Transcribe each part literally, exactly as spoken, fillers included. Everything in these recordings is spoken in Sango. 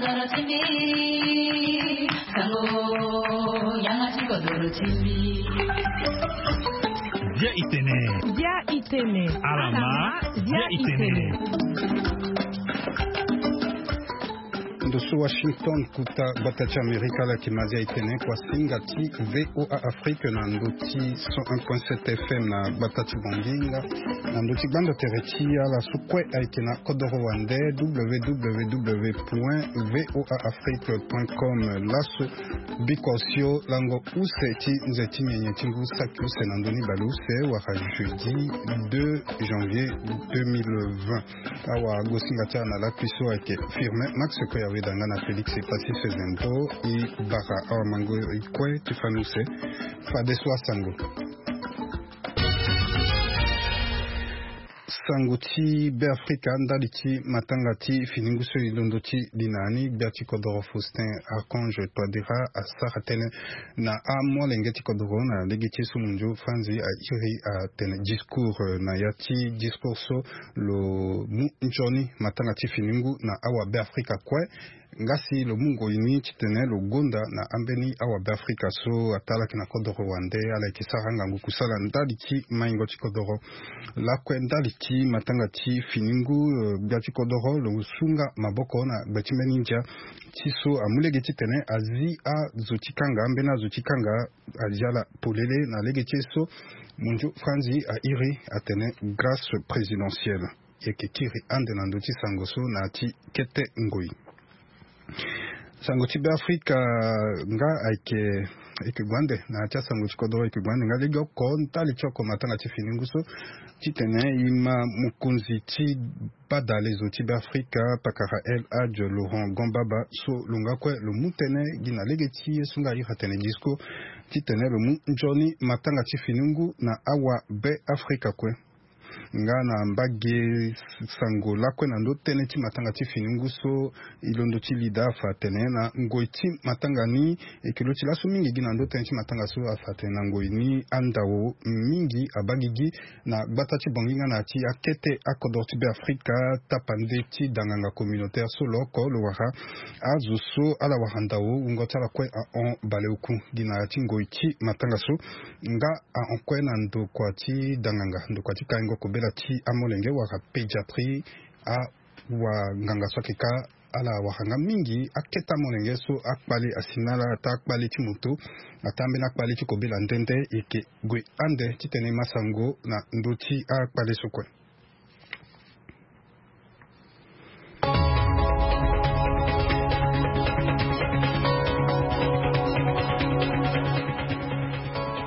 Dia itene. Dia itene. Alama. Dia itene. Ndo so Washington, kuta gbata ti Amerika, ala yeke ma dia itene kua singa ti VOA Afrique na ndo ti cent un point sept F M na gbata ti Bongi nga na ndo ti gbando tere ti ala so kue ayeke na kodoro wande, www point voa afrique point com. Laso biko osio lango use ti nze ti nyenye ti ngu saki use na ndö ni baleuse wala jeudi deux janvier deux mille vingt. Awa gosinga ti ala na lakui so ayeke Firmin Max Koyaweda nga na Félix Passy Sezembo. E bara awa mango e kue ti fani use. Fadeso asango. Sango ti Beafrika ndali ti matanga ti finingu so e londo ti li na ni, gbia ti kodoro Faustin Archange Touadéra asara tënë na amolenge ti kodoro na lege ti ye so mondio Franzi airi atene discours, eh, na ya ti discours so lo mu nzoni matanga ti finingu na awa Beafrika kue. Nga si lo mu ngoi ni titene lo gonda na ambeni awa Beafrika so ata ala yeke na kodoro wande, ala yeke sara ngangu kusala ndali ti maingo ti kodoro. Lakue ndali ti matanga ti finingu, eh, gbia ti kodoro lo sunga maboko na gbe ti mbeni ndia ti so amu lege titene azi azo ti kanga, ambeni azo ti kanga azi ala polele na lege ti ye so mondio Franzi airi atene grâce présidentielle. E yeke kiri ande na ndö ti sango so na ya ti kete ngoi. Sango ti Beafrika nga ayeke, ayeke gue ande na ya ti asango ti kodoro, ayeke gue ande nga legeoko ndali ti oko matanga ti finingu so titene e ma mokonzi ti badalezo ti Beafrika pakara El Hadj Laurent Gbagbo so lo nga kue lo mu tënë gi na lege ti ye so nga airi atene discours titene lo mu nzoni matanga ti finingu na awa Beafrika kue. Nga na mbage sango lakue na ndö tënë ti matanga ti finingu so e londo ti li daa afa atene na ngoi ti matanga ni, e yeke lo ti laso mingi gi na ndö tënë ti matanga so afa atene na ngoi ni andao mingi abaa gigi na gbata ti Bongi nga na ya ti akete akodoro ti Beafrika, tapande ti danganga communautaire so lo oko lo wara azo so ala wara ndao wungo ti ala kue ahon baleoku gi na ya ti ngoi ti matanga so. Nga ahon kue na ndokua ti danganga, ndokua ti kaingo kobela ti amolenge wala pédiatrie, awanganga so ayeke ka ala wara nga mingi akete amolenge so akpale asi na ala ata akpale ti moto ata ambeni akpale ti kobela nde nde. E yeke gue ande titene e ma sango na ndö ti akpale so kue.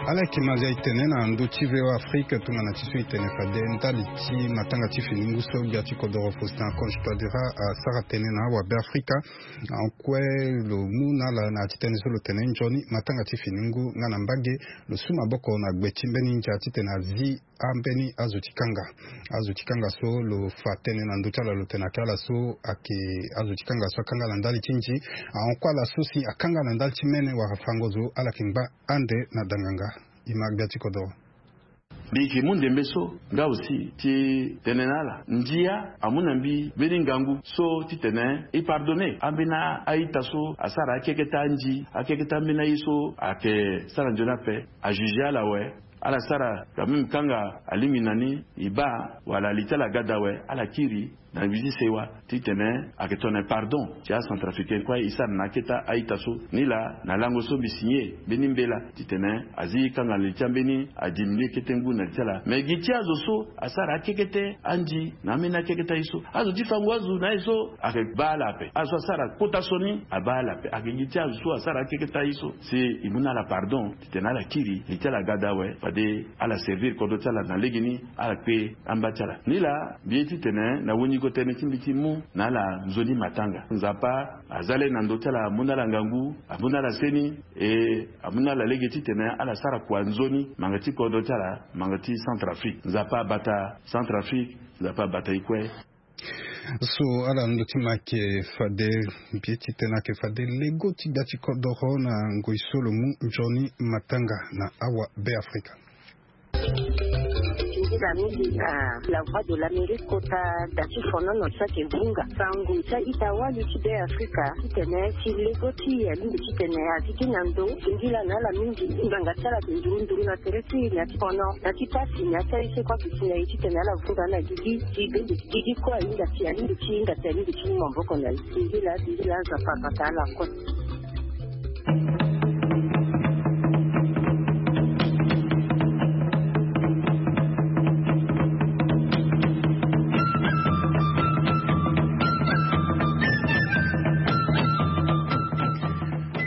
Ala yeke ma nzia e tene na ndö ti VOA Afrique tongana ti so e tene fade ndali ti matanga ti finingu so gbia ti kodoro Faustin Archange Touadéra asara tënë na awa Beafrika. Ahon kue lo mu na ala na ya ti tënë so lo tene nzoni matanga ti finingu nga na mbage lo su maboko na gbe ti mbeni ndia titene azi ambeni azo ti kanga. Azo ti kanga so lo fa tënë na ndö ti ala lo tene ayeke ala so ayeke azo ti kanga so akanga na ndali ti nzi. Ahon kue ala so si akanga na ndali ti mene wala fango zo ala yeke ngba ande na danganga. E ma gbia ti kodoro. Mbi yeke mu ndembe so nga aussi ti tene na ala ndia amu na mbi mbeni ngangu so titene e pardonner ambeni a-ita so asara akeketa anzi, akeketa ambeni aye so ayeke sara nzoni ape. Ajuger ala awe. Ala sara quand même kanga alingbi na ni e baa wala li ti ala aga daa awe, ala kiri na mbi ti sewa titene ayeke tongana pardon ti acentrafricain kue e sara na akete a-ita so. Nilaa na lango so mbi signer mbeni mbela titene azi kanga na li ti ambeni adiminuer kete ngu na li ti ala. Mais gi ti azo so asara akekete anzi na ambeni akekete aye so, azo ti fango azo na aye so ayeke baa ala ape. Azo so asara kota so ni abaa ala ape. Ayeke gi ti azo so asara akekete aye so si e mu na ala pardon titene ala kiri li ti ala aga daa awe, fade ala servir kodro ti ala na legeni, ala kpe amba ti ala. Nilaa mbi ye titene na weniko tënë ti mbi ti mu na ala nzoni matanga. Nzapa aza le na ndö ti ala, amu na ala ngangu, amu na ala seni, e amu na ala lege titene ala sara kua nzoni manga ti kodro ti ala, manga ti Centrafrique. Nzapa abata Centrafrique, Nzapa abata e kue. So ala ndö ti ma ayeke fade mbi ye ti tene ayeke fade lego ti gbia ti kodoro na ngoi so lo mu nzoni matanga na awa Beafrika. Mingi na la voix de l'Amérique kota da ti fonono ti ayeke vunga sango ti a-ita wali ti Be Afrika titene si lego ti e alingbi titene azi ti na ndo singila na ala mingi. Ngbanga ti ala ayeke nduru nduru na tere ti e na ti fono na ti pasi na ya ti aye so kue ayeke si na e titene ala vunga na gigi ti bende ti gigi kue ahinga si alingbi ti hinga si alingbi ti mu maboko na e. Singila singila, Nzapa abata ala kue.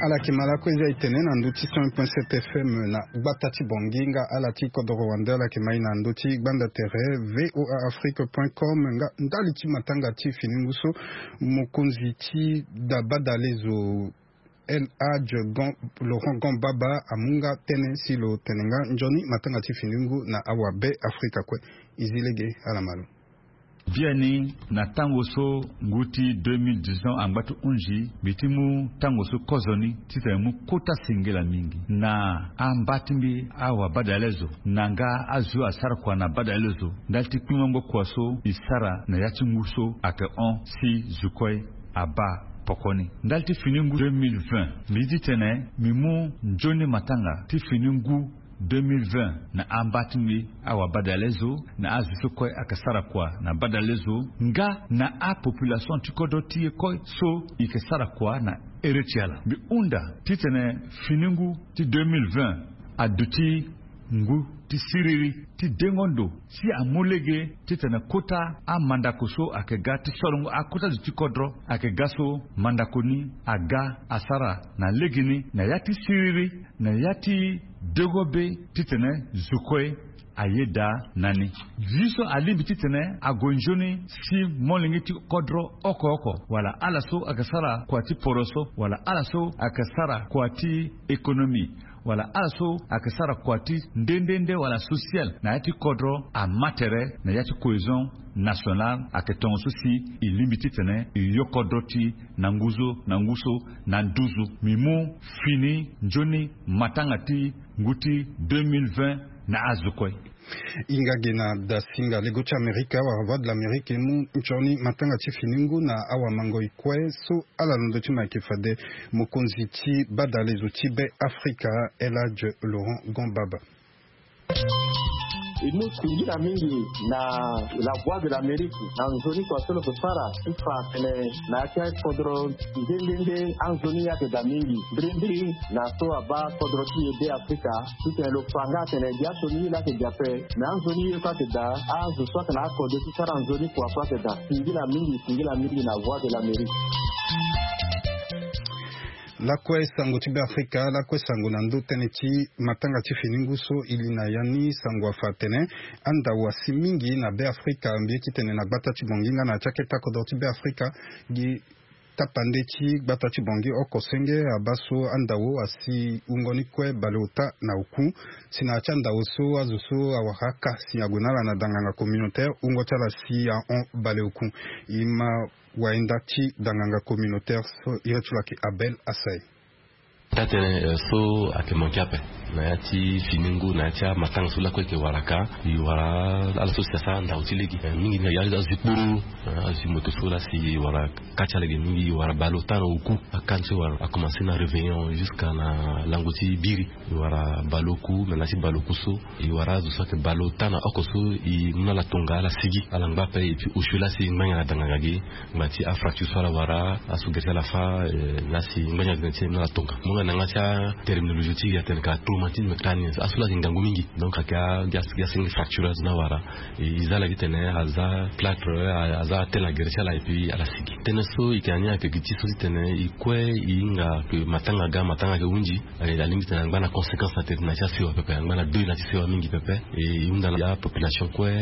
Ala yeke ma lakue eza etene na ndö ti cent point sept F M na gbata ti Bangui nga ala ti kodoro wande ala yeke ma e na ndö ti gbanda tere V O A Afrique point com nga ndali ti matanga ti fini ngu so mokonzi ti da badalezo El Hadj Laurent Gambaba amu nga tënë si lo tene nga nzoni matanga ti fini ngu na awa Be Afrika kue. E zi lege ala ma lo. Biani na tango so ngu ti deux mille dix-neuf angba ti hunzi mbi ti mu tango so kozoni titene mu kota singila mingi na amba ti mbi awa badalezo na nga azo asara kua na badalezo ndali ti kpingo kua so e sara na ya ti ngu so ayeke hon si zo kue abaa poko ni. Ndali ti fini ngu deux mille vingt mbi ye titene mbi mu nzoni matanga ti fini ngu deux mille vingt na amba ti mbi awa badalezo na azo so kue ayeke sara kua na badalezo nga na apopulation ti kodro ti e kue so e yeke sara kua na ere ti ala. Mbi hunda titene fini ngu ti deux mille vingt aduti ngu ti siriri ti dengo ndo si amu lege titene kota amandako so ayeke ga ti solongo akota zo ti kodro ayeke ga so mandako ni aga asara na legeni na ya ti siriri na ya ti dengo be titene zo kue ayeda na ni. Zi so alingbi titene ague nzoni si molenge ti kodro oko oko wala ala so ayeke sara kua ti poroso wala ala so ayeke sara kua ti économie wala ala so ayeke sara kua ti nde nde nde wala social na ya ti kodro ama tere na ya ti cohésion nationale ayeke tongaso si e lingbi titene e yo kodro ti na ngu so na ngu so na nduzu. Mbi mu fini nzoni matanga ti ngu ti deux mille vingt na azo kue. Hinga ge na dasinga lego ti Amerika wala Voix de l'Amérique e mu nzoni matanga ti fini ngu na awamangoi kue so ala londo ti mo ayeke fade mokonzi ti badalezo ti Be Afrika El Hadj Laurent Gambaba. E mu singila mingi na la Voix de l'Amérique na nzoni kua so lo yeke sara ti fa atene na ya ti akodro nde nde nde anzoni ye ayeke daa mingi mbirimbiri na so abaa kodro ti e Be Afrika titene lo fa nga atene gi aso ni ye laa ayeke gi ape. Me anzoni ye kue ayeke daa azo so ayeke na akode ti sara nzoni kua kue ayeke daa. Singila mingi singila mingi na Voix de l'Amérique. Lakue sango ti Be Afrika lakue sango na ndö tënë ti matanga ti fini ngu so e li na ya ni sango afa atene andau asi mingi na Be Afrika mbi ye titene na gbata ti Bangui nga na ya ti akete akodro ti Be Afrika gi tapande ti gbata ti Bangui oko senge abaa so andau asi wungo ni kue baleota na oku. Si na ya ti andau so azo so awara aka si ague na ala na danganga communautaire wungo ti ala si ahon baleoku. E ma wainda ti danganga communautaire so iri ti lo ayeke Abel Asai. Taa-tënë so ayeke manke ape na ya ti fini ngu na ya ti amatanga so lakue ayeke wara ka. E wara ala so si asara ndau ti lege mingi na ya azi kpuru azi moto so laa si e wara ka ti ala ge mingi e wara baleota na oku. Aka ni so e wara akomanse na réveillon jusqu'à na lango ti biri. E wara baleoku me na ya ti baleoku so e wara azo so ayeke baleota na oko so e mu na ala tonga ala sigi ala ngba ape et puis osio laa si e ngbanga na danganga ge. Ngba ti afracture so ala wara aso gere ti ala fâ. Na si ngbanga ti e na ala tonga mo nga na yanga ti aterminologie ti e atene ka traumatisme crânien aso laa si ngangu mingi. Donc ayeke asengi fracture azo ni awara. E za ala gi tene aza plâtre aza atene na gere ti ala et puis ala sigi. Tënë so e yeke na ni ayeke gi ti so ti tene e kue e hinga ke matanga aga matanga ayeke hunzi. Alingbi tene angba na conséquence na tere na ya ti asewa pepe angba na deuil na ya ti sewa mingi pepe. E hunda na ya population kue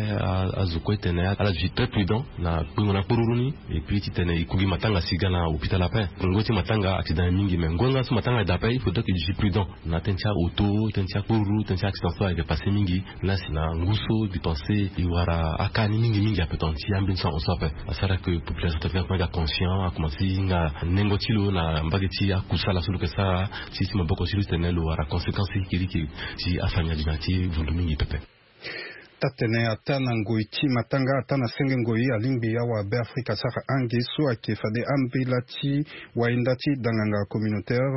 azo kue tene ala duti très prudent na kpingo na kporuru ni. Et puis titene e ku gi matanga si ga na hôpital ape. Ngoi ti matanga accident ye mingi mais ngoi nga so matanga eda ape il faudrait que e duti prudent na tënë ti auto tënë ti akporuru tënë ti accident so ayeke passé mingi. Laa si na ngu so mbi pense e wara aka ni mingi mingi ape tongana ti ambeni so ahon so ape. Asara ke population ti afrika kue aga conscient akomanse e hinga nengo ti lo na mbage ti akusala so lo yeke sara. Ti ti maboko ti lo titene lo wara conséquence ti kirikiri ti afamille adi na ya ti vundu mingi pepe. Tatene ata na ngoi ti matanga ata na senge ngoi alingbi awa be afrika sara ange so ayeke fade ambela ti wainda ti danganga communautaire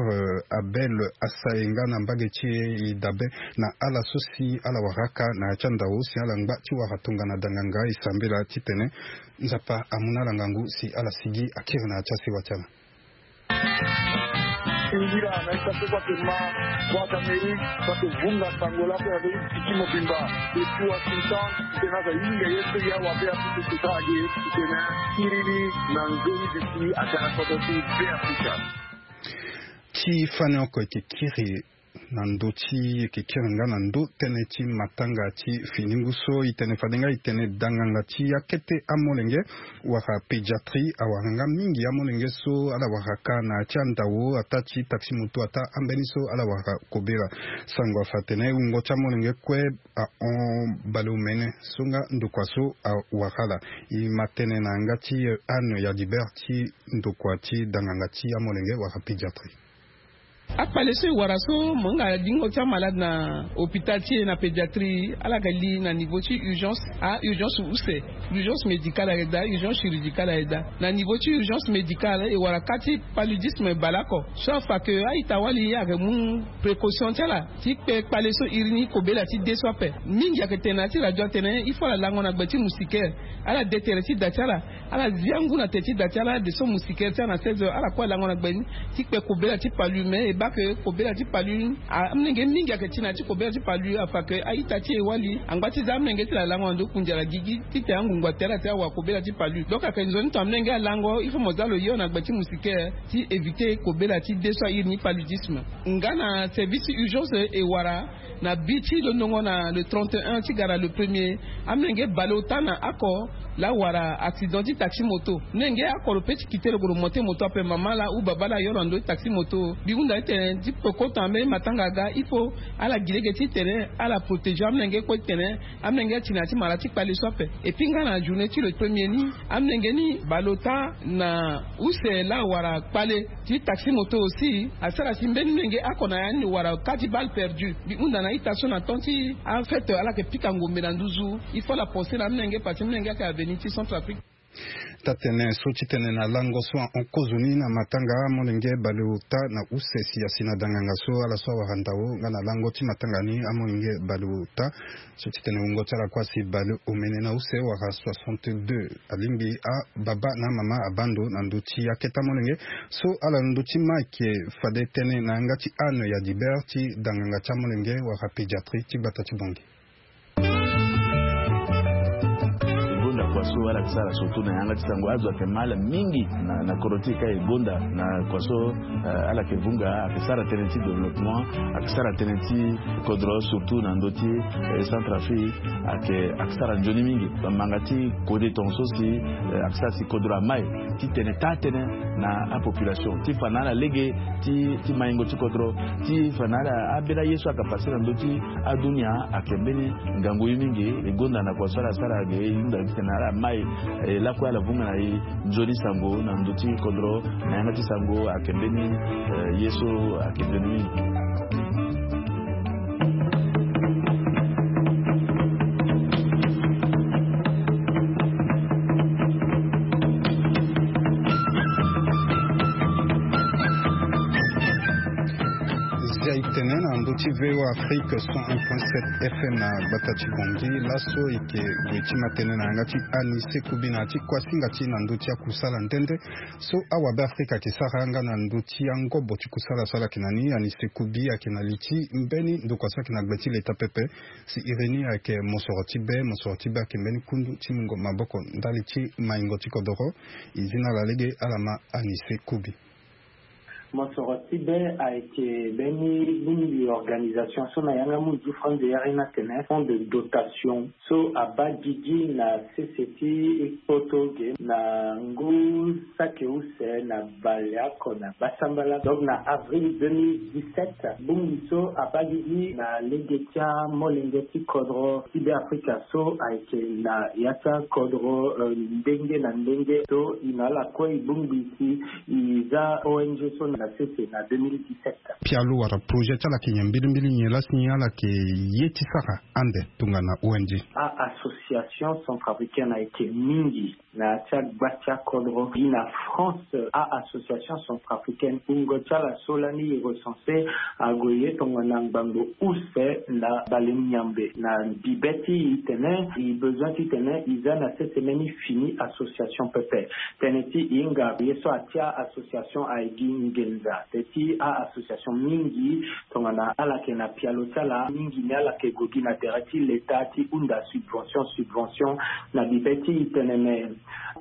abel asae nga na mbage ti e e dabe na ala so si ala wara aka na ya ti andao si ala ngba ti wara tongana danganga e sambela titene nzapa amu na ala ngangu si ala sigi akiri na ya ti asewa ti ala. Singira na ita so bake ma bwaka meri bake vunga sango la pe na be tiki mobimba de tuwa sintan. Tena ka yinga ye so ya wa be aputu sita age tena kiriri na nzoni de ti atara koto ti be aputa. Ti fani oko eke kiri na ndö ti eke kiri nga na ndö tënë ti matanga ti finingu so e tene fade nga e tene danganga ti akete amolenge wala pédiatrie awara nga mingi amolenge so ala wara ka na ya ti andao ata ti taxi moto ata ambeni so ala wara kobela. Sango afa atene wungo ti amolenge kue ahon baleomene so nga ndokua so awara ala. E ma tene na yanga ti anne ya libert ti ndokua ti danganga ti amolenge wala pédiatrie. Akpale so e wara so mo hinga lingo ti amalade na hôpital ti e na pédiatrie ala yeke li na niveau ti urgence. A urgence use urgence médicale ayeke daa urgence chirurgicale ayeke daa. Na niveau ti urgence médicale e wara ka ti paludisme baleoko so afa ke a-ita-wali ayeke mu précaution ti ala ti kpe kpale so iri ni kobela ti de so ape. Mingi ayeke tene na ya ti radio atene il faut ala lango na gbe ti moustiquaire. Ala de tere ti da ti ala ala zia ngu na te ti da ti ala de so moustiquaire ti ala na seize heures ala kue alango na gbe ni ti kpe kobela ti palu mais e baa ke kobela ti palu amolenge mingi ayeke ti na ya ti kobela ti palu afa ke a-ita ti e wali angba ti za amolenge ti la lango na ndo kunzi ala gigi titene angungu ate ala ti awa kobela ti palu. Donc ayeke nzoni tongana amolenge alango il faut mo za lo hio na gbe ti moustiquaire ti éviter kobela ti de so airi ni paludisme. Nga na service ti urgence e wara na bi ti londongo na le trente et un ti gara le premier. Amolenge baleota na oko la wara accident ti taxi moto. Molenge oko lo pe ti kite lo gue lo monte moto ape mama la ou baba la yo na ndö ti taxi moto. Mbi hunda ti tene ti pekota mbeni matanga aga il faut ala gi lege ti tene ala protéger amolenge kue ti tene amolenge ti na ya ti mara ti kpale so ape. Et puis nga na journée ti le premier ni amolenge ni baleota na use la wara kpale ti taxi moto aussi asara si mbeni molenge oko na ya ni wara ka ti balle perdu. Mbi hunda na ita so na temps ti afête ala yeke pika ngombe na nduzu. Il faut la pense na amolenge parce que molenge ayeke avenir ti centre afrique. Tatene so ti tene na lango so ahon kozoni na matanga amolenge baleota na use si asi na danganga so ala so awara ndao nga na lango ti matanga ni amolenge baleota. So ti tene wungo ti ala kue asi baleomene na use wala soixante-deux alingbi ababa na amama abando na ndö ti akete amolenge. So ala na ndö ti ma ayeke fade tënë na yanga ti anne ya dibert ti danganga ti amolenge wala pédiatrie ti gbata ti bongi. E gonda kua so ala yeke sara surtout na yanga ti sango azo ayeke ma ala mingi na kodro ti e ka e gonda na kua so ala yeke vunga ayeke sara tënë ti développement ayeke sara tënë ti kodro surtout na ndö ti centre afrique. Ayeke ayeke sara nzoni mingi bamanga ti kode tonga so si ayeke sara si kodro amai ti tene taa tënë na apopulation ti fa na ala lege ti maingo ti kodro ti fa na ala ambeni aye so ayeke pase na ndö ti adunia. Ayeke mbeni ngangu ye mingi e gonda na kua so ala sara ge e hunda ti tene na ala mai e lakue ala vunga na e nzoni sango na ndö ti kodro na yanga ti sango ayeke mbeni ye so ayeke nzoni mingi. Zia e tene na ndö ti voa afrique cent un point sept fm na gbata ti bongi laso e yeke gue ti ma tënë na yanga ti anise kubi na ya ti kuasinga ti na ndö ti akusala nde nde so awabe afrika ayeke sara nga na ndö ti angobo ti kusala so ala yeke na ni anise kubi ayeke na li ti mbeni ndokua so ayeke na gbe ti leta pepe. Si iri ni ayeke mosoro ti be mosoro ti be ayeke mbeni kundu ti mungo maboko ndali ti maingo ti kodoro. E zi na ala lege ala ma anise kubi. Mosoro ti be ayeke mbeni bongbi organisation so na yanga munzu franze yari ni atene fonds de dotation so abaa gigi na sese ti kpoto ge na ngu saki use na baleoko na basambala donc na avril deux mille dix-sept bongbi so abaa gigi na lege ti amolenge ti kodro ti be afrika so ayeke na ya ti akodro ndenge na ndenge so e na ala kue e bongbi si e za ong so na na sese na deux mille dix-sept. Pialo wala projet ti ala ayeke nyen mbilimbili, nyen lasi ni ala yeke ye ti sara ande tongana O N G? A-association centrafricaine ayeke mingi na ya ti agba ti akodro gi na France. A-association centrafricaine, wungo ti ala so lani e recense ague ye tongana ngbangbo use na bale miambe. Na bibe ti e tene e besoin titene e za na sese mbeni fini association pepe. Tënë ti e hinga ye so atia association aye gi nginza. Tënë ti a-association mingi tongana ala yeke na pialo ti ala, mingi ni ala yeke gue gi na tere ti leta ti hunda subvention, subvention na bibe ti tene me.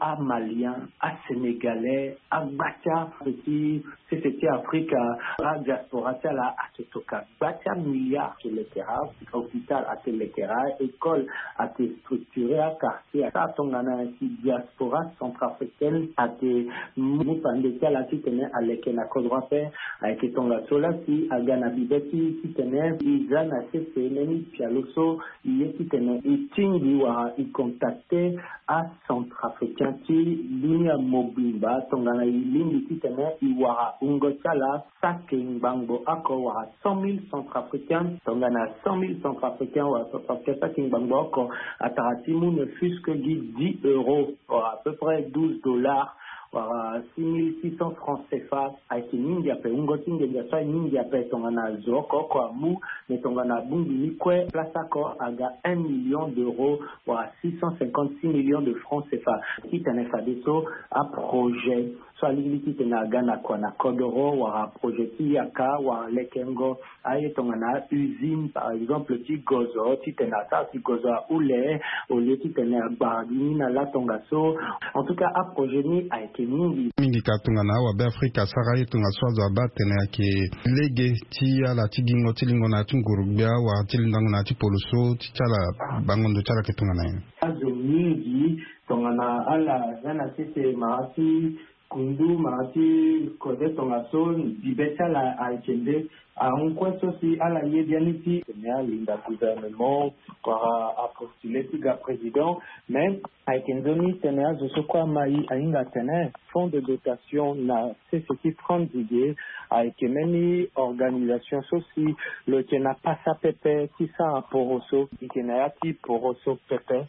Amalien, asénégalais, agba ti ape ti sese ti Afrika, adiaspora ti ala ayeke toka gba ti amilliard. Ayeke lekera hôpital, ayeke lekera école, ayeke structuré aquartier. Asara tongana si diaspora centrafricaine ayeke mu pande ti ala titene aleke na kodro ape. Ayeke tongaso lasi aga na bibe ti titene e za na sese mbeni pialo so e ye titene e tingbi wala e contacte acentrafricain ti dunia mobimba tongana e lingbi titene e wara wungo ti ala saki ngbangbo oko wala cent mille centrafricains. Tongana cent mille centrafricains wala centrafricains saki ngbangbo oko, atara ti mu ne fût-ce que gi dix euros, wala à peu près douze dollars, wala six mille six cents francs C F A. Ayeke mingi ape, wungo ti nginza so aye mingi ape. Tongana zo oko oko amu, me tongana abongbi ni kue, place oko aga un million d'euros, wala six cent cinquante-six millions de francs C F A. Titene fadeso aprojet so alingbi titene aga na kua na kodoro, wala projet ti yaka, wala lekengo aye tongana usine, par exemple, ti gozo, titene asara si gozo ahule, au lieu titene agbara gi ni na la tongaso. En tout cas, aprojet ni ayeke mingi. Mingi ka tongana awabe Afrika asara ye tongaso azo abaa atene ayeke lege ti ala ti gingo ti lingo na ya ti nguru-gbia, wala ti lindango na ya ti poloso, ti ti ala bango ndo ti ala ayeke tongana nyen? Azo mingi tongana ala za na sese mara ti kundu, mara ti kode tongaso, bibe ti ala ayeke nde ahon kue so si ala ye biani ti tene alinda gouvernement, wala apostule ti ga président. Mais ayeke nzoni tene azo so kue ama e ahinga atene fonds de dotation na sese ti France Didier ayeke mbeni organisation so si lo yeke na pasa pepe ti sara poroso, e yeke na ya ti poroso pepe.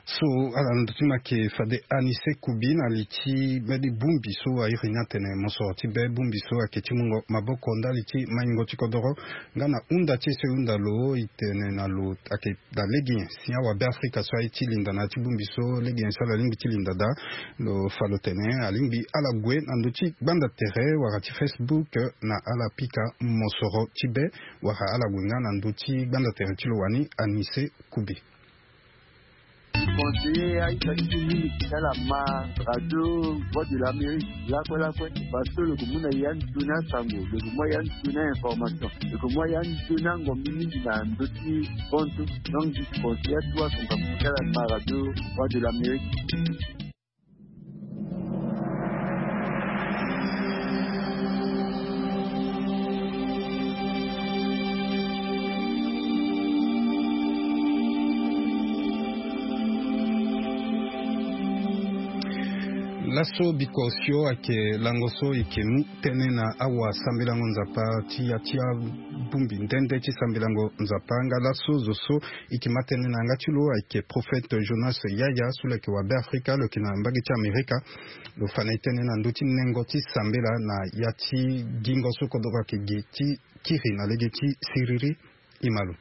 So ala na ndo ti ma ayeke fade Anise Kubi na li ti mbeni bongbi so airi ni atene mosoro ti be, bongbi so ayeke ti mungo maboko ndali ti maingo ti kodoro nga na hunda ti e so e hunda lo, e tene na lo ayeke na lege nyen si awabe Afrika so aye ti linda na ya ti bongbi so, lege nyen so ala lingbi ti linda daa. Lo fa lo tene alingbi ala gue na ndö ti gbanda tere wala ti Facebook na ala pika mosoro ti be, wala ala gue nga na ndö ti gbanda tere ti lo wani Anise Kubi. Conseiller aita ti mingi ti ala ma radio Voix de l'Amérique lakue lakue, parce que lo yeke mu na ya ndö ni asango, lo yeke mu ya ndö ni a-information, lo yeke mu ya ndö ni angombi mingi na ndö ti konto. Donc je conseille atu asango ti ala ma radio Voix de l'Amérique. Laso bikosio ayeke lango so e yeke mu tënë na awasambelango Nzapa ti ya ti abongbi nde nde ti sambelango Nzapa. Nga laso zo so e yeke ma tënë na yanga ti lo ayeke prophète Jonas Yaya so lo yeke wabe Afrika, lo yeke na mbage ti Amerika. Lo fa na e tënë na ndö ti nengo ti sambela na ya ti gingo so kodoro ayeke gi ti kiri na lege ti siriri. E ma lo.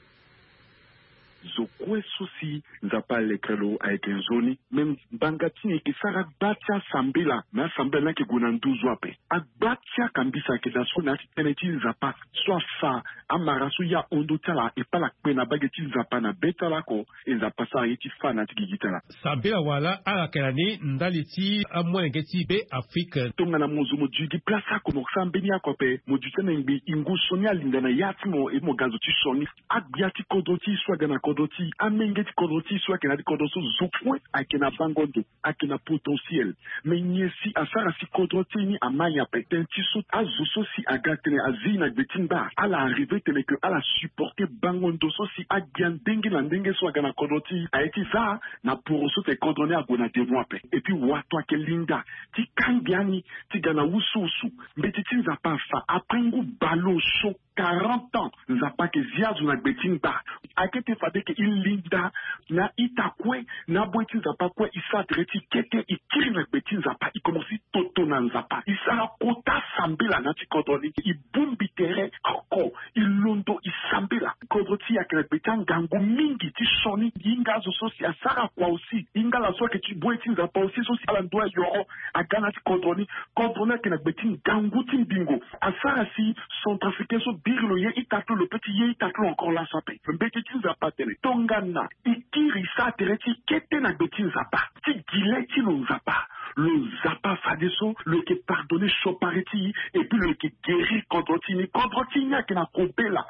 Zo kue so si Nzapa alekere lo ayeke nzoni. Me ngbanga ti e yeke sara gba ti asambela, me asambela ni ayeke gue na nduzu ape. Agba ti akambisa ayeke daa so na ya ti tënë ti Nzapa so afa amara so ya hon ndö ti ala, e pa ala kpe na mbage ti Nzapa na be ti ala oko, e Nzapa asara ye ti fâ na ya ti gigi ti ala. Sambela wala ala yeke na ni ndali ti amolenge ti be Afrique. Tongana mo zo mo duti gi place oko mo sara mbeni oko ape, mo duti na ngbi e ngu sioni alinda na ya ti mo, e mo ga zo ti sioni. Agbia ti kodro ti e so aga na kodro ti e, amenge ti kodro ti e so ayeke na ya ti kodro so zo kue ayeke na bango ndo, ayeke na potentiel. Mais nyen si asara si kodro ti e ni ama nyen ape? Tënë ti so azo so si aga tene azi na gbe ti ngba ala arrive tene ke ala supporter bango ndo so si agbia ndenge na ndenge so aga na kodro ti e aye ti za na poro so tene kodro ni ague na devant ape. Et puis wato ayeke linda ti kangbi ani ti ga na wusuwusu. Mbeti ti Nzapa afa après ngu baleosio. Quarante ans Nzapa ayeke zi azo na gbe ti ngba. Ayeke tene fade ke e linda na ita kue na aboyi ti Nzapa kue, e sara tere ti kete, e kiri na gbe ti Nzapa, e komanse toto na Nzapa, e sara kota sambela na ya ti kodro ni, e bongbi tere oko, e londo, e sambela. Kodro ti e ayeke na gbe ti angangu mingi ti sioni. E hinga azo so si asara kua aussi, e hinga ala so ayeke ti boyi ti Nzapa aussi so si ala ndoa yoro aga na ya ti kodro ni. Kodro ni ayeke na gbe ti ngangu ti mbingo. Asara si centrafricain so biri lo ye ita ti lo, lo peut ti ye ita ti lo encore laso ape. Mbeti ti Nzapa atene tongana e kiri, e sara tere ti kete na gbe ti Nzapa, ti gi le ti lo Nzapa, lo Nzapa fadeso lo yeke pardonner siopari ti e, et puis lo yeke guérir kodro ti e ni. Kodro ti e ni ayeke na kobela.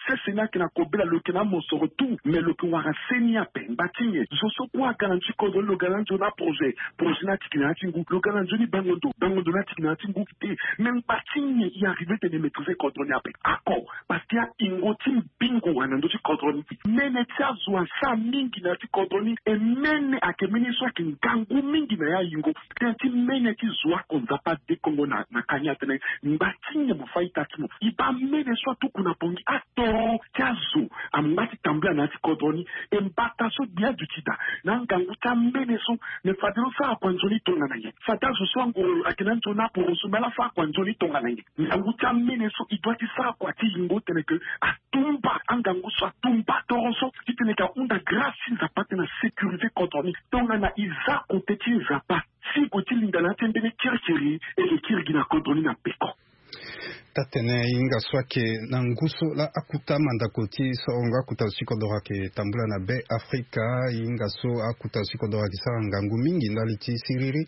Sese ni ayeke na kobela, lo yeke na amosoro tout, mais lo yeke wara se ni ape. Ngba ti nyen? Zo so kue aga na ya ti kodro ni, lo ga na nzoni aprojet, projet ni atiki na ya ti ngu. Lo ga na nzoni bango ndo, bango ndo ni atiki na ya ti ngu. Te, mais ngba ti nyen e arrive tene e maîtriser kodro ni ape? Ako, parce que ayingo ti mbingo wara na ndö ti kodro ni. Mene ti azo asara mingi na ya ti kodro ni, e mene ayeke mene so ayeke ngangu mingi na ya yingo. Tënë ti mene ti zo oko Nzapa adekongo na, na ka ni atene ngba ti nyen mo fâ ita ti mo? E baa mene so atuku na Bangui, atoro ti azo angba ti tambula na ya ti kodro ni. E mbata so gbia duti daa na angangu ti amene so, me fade lo sara kua nzoni tongana nyen? Fade azo so angoro ayeke na nzoni aporo so, me ala sara kua nzoni tongana nyen? Ngangu ti amene so e doit ti sara kua ti yingo tene ke atumba angangu so, atumba toro so, titene ke ahunda grâce ti Nzapa titene asécuriser kodro ni. Tongana e za kote ti Nzapa, si e gue ti linda na ya ti mbeni kirikiri, e yeke kiri gi na kodro ni na peko. Taa-tene e hinga so ayeke na ngu so laa akuta mandako ti sorongo akuta zo ti kodoro ayeke tambula na Be Afrika. E hinga so akuta zo ti kodoro ayeke sara ngangu mingi ndali ti siriri.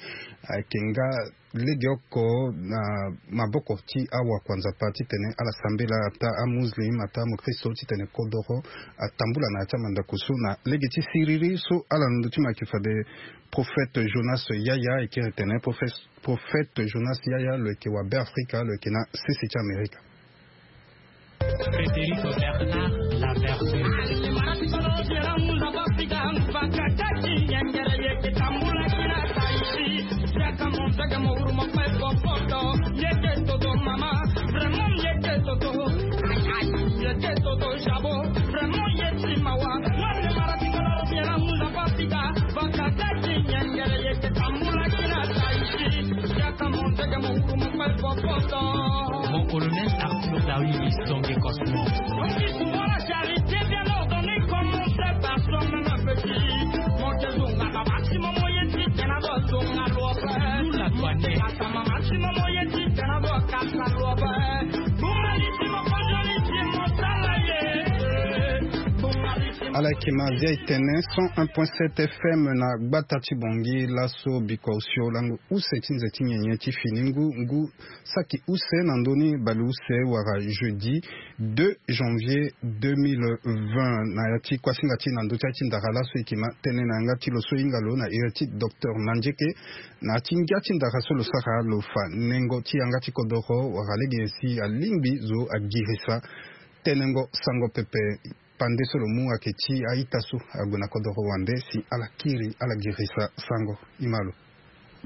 Ayeke nga legeoko na maboko ti awakua Nzapa titene ala sambela, ataa amuslim, ataa amokristo, titene kodoro atambula na ya ti amandako so na lege ti siriri so ala na ndö ti mo ayeke fade Prophète Jonas Yaya, e kiri tene Prophète, Prophète Jonas Yaya lo yeke wa Be Afrika, lo yeke na sese ti Amerika. Frédéric Bernard, la version. Vraiment, il était Toto Jabo. Vraiment, il est Timawa. Moi, le Maratikolo, bien, nous avons pris. Mon colonel Arthur Dawidi, Songe Cosmo. On dit souvent la charité bien ordonnée commence par soi-même, petit. Mon Dieu, zonga, maximum, moyen de la. Ala yeke Maria e tene cent un point sept F M na gbata ti Bangui. Laso bikua osio lango use ti nze ti nyenye ti fini ngu, ngu saki use na ndö ni baleuse wala jeudi deux janvier deux mille vingt. Na ya ti kuasinga ti e na ndö ti ya ti ndara laso e yeke ma tënë na yanga ti lo so e hinga lo na iri ti docteur Nandieke. Na ya ti ngia ti ndara so lo sara lo fa nengo ti yanga ti kodoro wala lege nyen si alingbi zo agirisa tenengo sango pepe. Pande so lo mu ayeke ti a-ita so ague na kodoro wande si ala kiri ala girisa sango. E ma lo.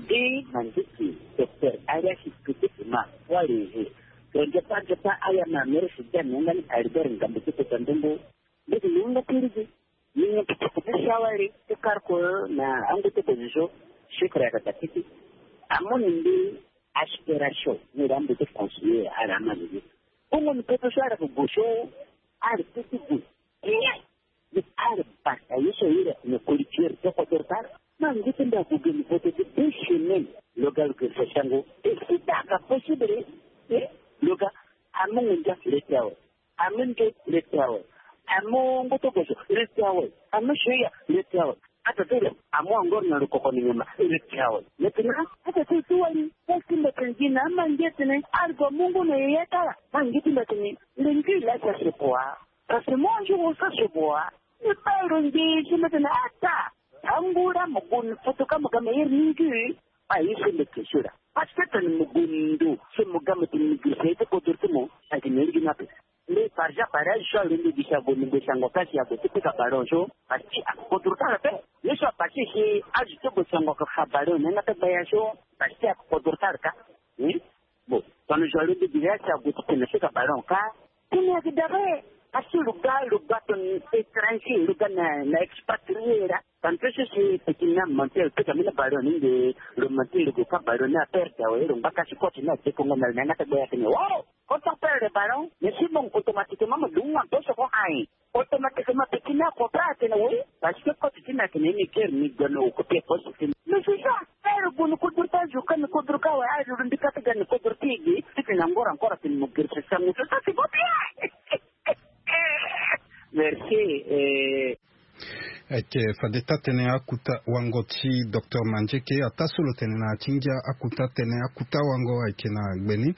Nde na ndeti docteur Arias Kete Emma Poiré. Tonze pa nze pa aya na mere si dia na yanga ni Albert Ngambo ti kota ndongo. Mbeti ni yanga ti rigi ni nyen ti kota ti sawari ti karko na ango ti kozo so. Chef ayaka ta kiti amoni nde aspiration ni ra mbo ti conseiller ara amani ni. Bongo ni pepe so ara ko go so ara ti ti go. Ni ara bata ye so ira na collecteur to ko dortar. Ma ngi ti nda ko geni vote ti deux semaines. Lo ga lo geni sa sango. E si ta ka possible. E lo ga amongo ndia leti awe. Ame nge leti awe. Ame ngoto kozo leti awe. Ame soya leti awe. Ata tele amo angor na lo koko ni nyama leti awe. Maintenant ata tele tuwari. Esi mbatene gi na ama nge tene argo mungu na yeye tala. Ma nge ti mbatene lengi la sa se poa. Parce que moi je veux ça se boire. Ni baa ro nge so mbi tene ata. Angura mo gue ni foto ka mo ga mo iri ni ngi. Aye so mbi ke so ra. Parce que tene mo gue ni ndo so mo ga mo tene mo girisa ye ti kodro ti mo. Ayeke ni lege ni ape. Mbi par exemple aye so alo mbi gi si ague ni gue sango ka si ague ti pika ballon so. Parce que akodro ti ala pe. Ye so apasse si azo ti gue sango ka fa ballon ni yanga ti gbaya so. Parce que akodro ti ala ka. Bon, tongana zo alo mbi gi si ague ti tene pika ballon ka. Tene ayeke dabe. Parce que lo ga lo ga tongana étranger lo ga na na expatrié ra. Tantôt so si petit na mentir pika mbeni ballon ni nde. Lo mentir lo gue ka ballon ni aperde awe lo ngba ka si coach ni adekongo na lo na yanga ti gbaya tene o. Quand on perd le ballon, mais si bon automatiquement mo dunga mpe so ko aye. Automatiquement petit na ko pa atene oui. Parce que coach ti na tene ni ker ni gono ko pe poste ti. Mais c'est ça. Ero gono ko durta jo kan ko durka wa ayo ndi kata gan ko durti gi. Titi na ngora ankora tene mo ger se sangu so ça c'est pas bien. Merci. Eh. Ayeke fade taa-tënë akuta wango ti docteur Mandieke ataa so lo tene na ya ti ngia akuta tënë akuta wango ayeke na gbe ni.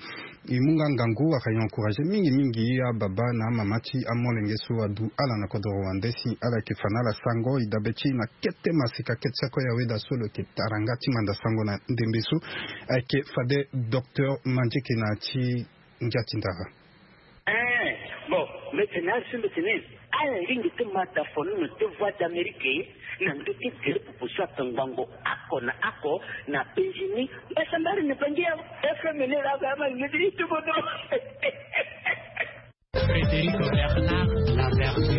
E mu nga ngangu wala e encouragé mingi mingi ababa na amama ti amolenge so adu ala na kodoro wande si ala yeke fa na ala sango e dabe ti e na kete masika kete sako ya weda so lo yeke tara nga ti manda sango na ndembe so. Ayeke fade docteur Mandieke na ya ti ngia ti ndara. Eh, bon, mbi tene azo so mbi tene ala lingbi ti ma da fo ni na ti Voix d'Amérique na ndö ti gere pupu so ato ngbongo oko na oko na penzi ni. Mbasambari ni bangi ya F M ni laa azo ama lingbi ti ti bodo. Frédéric Bernard Lavergne.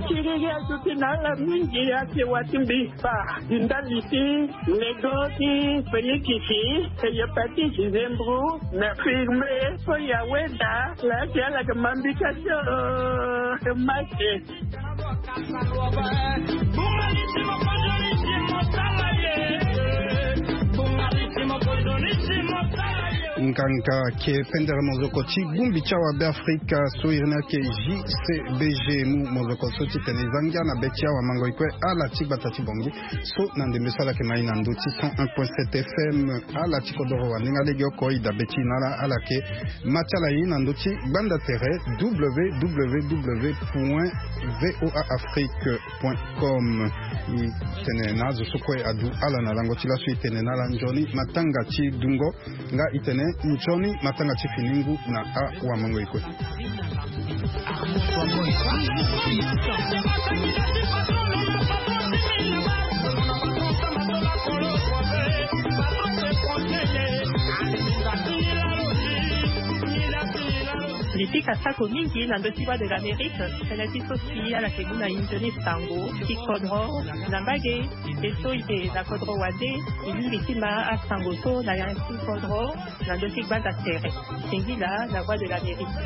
Kiriri azo ti na ala mingi ake wa ti mbi. Fa di ndali ti nego ti penikisi, hépatite, zembro, na firme so ya weda laki ala yeke ma mbi ka so. Mate. Nganga ke pendere mozoko ti gumbi ti awa Beafrika so iri ni ake J C B G mu mozoko so titene e za ngia na be ti awa mango e kue ala ti gbata ti Bangui. So na ndembe so ala yeke ma e na ndö ti cent un point sept F M ala ti kodoro wa ndenge alege oko e dabe ti e na ala ala yeke ma ti ala e na ndö ti gbanda tere W W W point V O A Afrique point com. E tene na azo so kue adu ala na lango ti laso e tene na ala nzoni matanga ti dungo. Nga e tene nzoni matanga ti fini ngu na awamango e kue. Mbi pika sako mingi na ndö ti Voix de l'Amérique, tënë ti so si ala yeke mu na e nzoni sango ti kodro na mbage. E so e yeke na kodro wande, e lingbi ti ma asango so na ya ti kodro na ndö ti gbanda tere. Singila na Voix de l'Amérique.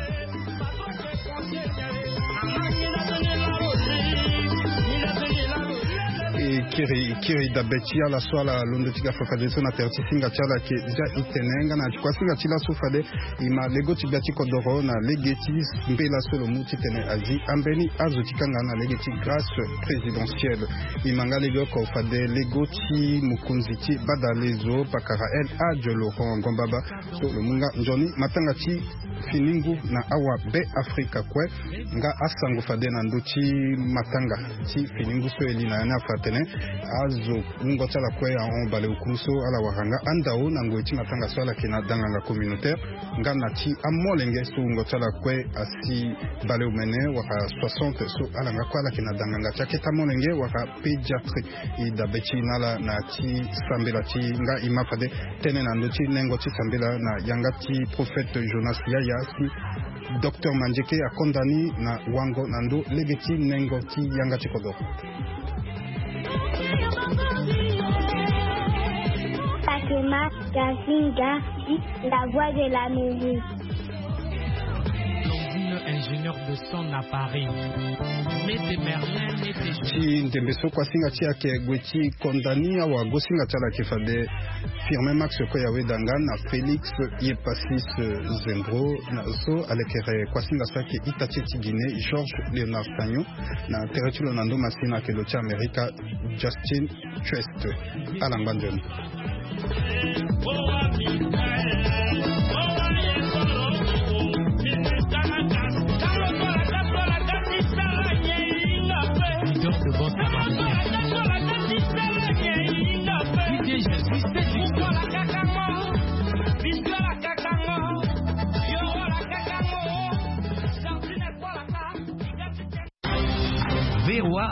E kiri, e kiri dabe ti ala so ala londo ti ga fa fadeso na tere ti singa ti ala ayeke za e tene nga na ya ti kuâ singa ti laso fade e ma lego ti gbia ti kodoro na lege ti mbela so lo mu titene azi ambeni azo ti kanga na lege ti grâce présidentielle. E ma nga lege oko fade lego ti mokonzi ti badalezo pakara El Hadj Laurent Ngombaba so lo mu nga nzoni matanga ti fini ngu na awa Beafrika kue. Nga asango fade na ndö ti matanga ti fini ngu so e li na ya ni afa atene azo wungo ti ala kue ahon baleokuru so ala wara nga andao na ngoi ti matanga so ala yeke na danganga communautaire. Nga na ti amolenge so wungo ti ala kue asi baleomene wala soixante so ala nga kue ala yeke na danganga ti akete amolenge wala pédiatrie. E dabe ti e na ala na ti sambela ti e nga e ma fade tënë na ndö ti nengo ti sambela na yanga ti prophète Jonas Yaya si docteur Mandieke akonda ni na wango na ndö lege ti nengo ti yanga ti kodoro. Fatima Gazinga, la voix de l'Amérique. Ingénieur de son à Paris. Mete Merlin, mete. Ti ndembe so kuasinga ti ayeke gue ti konda ni awa gosinga ti ala ayeke fade Firmin Max Koya Wedanga na Félix Yepasis Zengro. Na so alekere kuasinga so ayeke ita ti e ti Guinée Georges Léonard Sagnon. Na tere ti lo na ndo masina ayeke lo ti Amerika Justin Trust. Ala ngba nzoni.